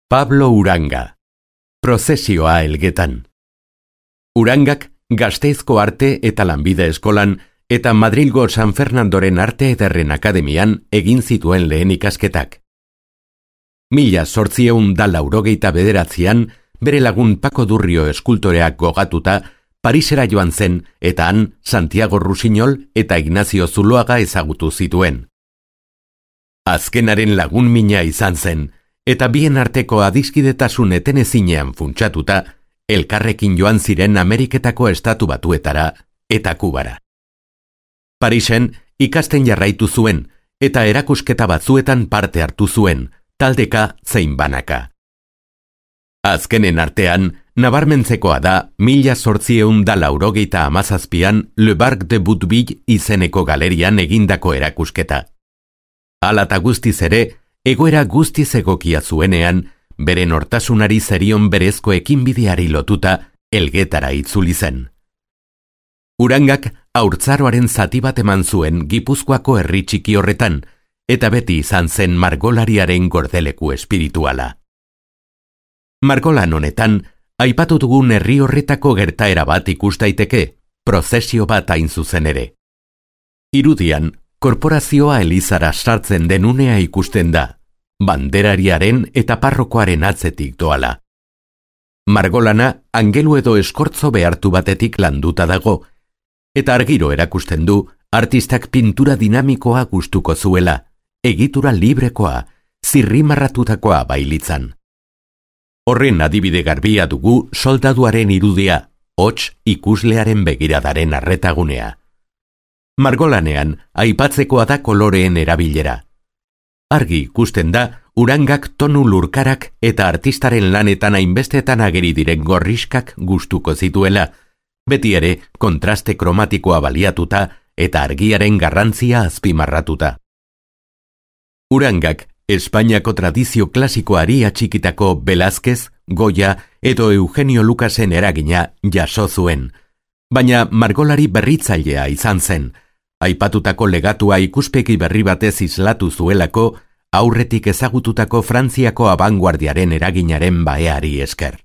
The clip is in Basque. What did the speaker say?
Pablo Uranga. Prozesioa Elgetan. Urangak Gasteizko Arte eta Lanbide Eskolan eta Madrilgo San Fernandoren Arte Ederren Akademian egin zituen lehen ikasketak. 1889an bere lagun Paco Durrio eskultoreak gogatuta Parisera joan zen eta han Santiago Rusiñol eta Ignacio Zuloaga ezagutu zituen. Azkenaren lagun mina izan zen, eta bien arteko adiskidetasun etenezinean funtsatuta, elkarrekin joan ziren Ameriketako Estatu Batuetara eta Kubara. Parisen ikasten jarraitu zuen, eta erakusketa batzuetan parte hartu zuen, taldeka zein banaka. Azkenen artean, nabarmentzekoa da 1887an Le Parc de Bouteville izeneko galerian egindako erakusketa. Hala eta guztiz ere, egoera guztiz egokia zuenean, bere nortasunari zerion berezko ekinbideari lotuta Elgetara itzuli zen. Urangak haurtzaroaren zati bat eman zuen Gipuzkoako herri txiki horretan, eta beti izan zen margolariaren gordeleku espirituala. Margolan honetan, aipatu dugun herri horretako gertaera bat ikus daiteke, prozesio bat hain zuzen ere. Irudian, korporazioa elizara sartzen den unea ikusten da, banderariaren eta parrokoaren atzetik doala. Margolana angelu edo eskortzo behartu batetik landuta dago, eta argiro erakusten du artistak pintura dinamikoa gustuko zuela, egitura librekoa, zirrimarratutakoa bailitzan. Horren adibide garbia dugu soldaduaren irudia, hots ikuslearen begiradaren arretagunea. Margolanean aipatzekoa da koloreen erabilera. Argi ikusten da Urangak tonu lurkarak eta artistaren lanetan hainbestetan ageri diren gorriskak gustuko zituela, beti ere kontraste kromatikoa baliatuta eta argiaren garrantzia azpimarratuta. Urangak Espainiako tradizio klasikoari atxikitako Velázquez, Goya edo Eugenio Lucasen eragina jaso zuen, baina margolari berritzailea izan zen, aipatutako legatua ikuspegi berri batez islatu zuelako aurretik ezagututako Frantziako abanguardiaren eraginaren baeari esker.